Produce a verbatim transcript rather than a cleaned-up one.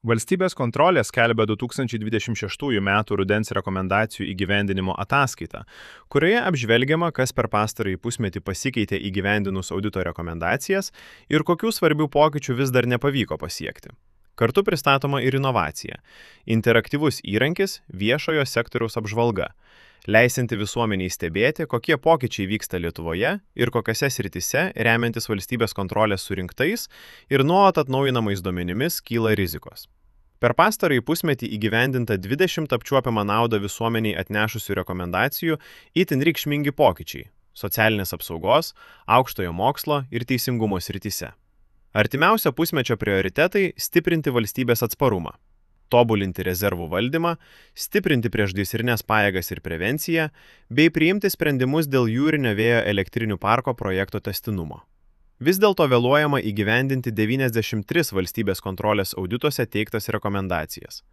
Valstybės kontrolė skelbia du tūkstančiai dvidešimt šeštųjų metų rudens rekomendacijų įgyvendinimo ataskaitą, kurioje apžvelgiama, kas per pastarąjį pusmetį pasikeitė įgyvendinus audito rekomendacijas ir kokių svarbių pokyčių vis dar nepavyko pasiekti. Kartu pristatoma ir inovacija – interaktyvus įrankis viešojo sektoriaus apžvalga, leisinti visuomeniai stebėti, kokie pokyčiai vyksta Lietuvoje ir kokiose srityse, remiantis valstybės kontrolės surinktais ir nuolat atnaujinamais duomenimis, kyla rizikos. Per pastarąjį pusmetį įgyvendinta dvidešimt apčiuopiamą naudą visuomeniai atnešusių rekomendacijų itin reikšmingi pokyčiai – socialinės apsaugos, aukštojo mokslo ir teisingumo srityse. Artimiausio pusmečio prioritetai – stiprinti valstybės atsparumą, tobulinti rezervų valdymą, stiprinti priešgaisrinės pajėgas ir prevenciją, bei priimti sprendimus dėl jūrinio vėjo elektrinių parko projekto tęstinumo. Vis dėlto vėluojama įgyvendinti devyniasdešimt tris valstybės kontrolės audituose teiktas rekomendacijas.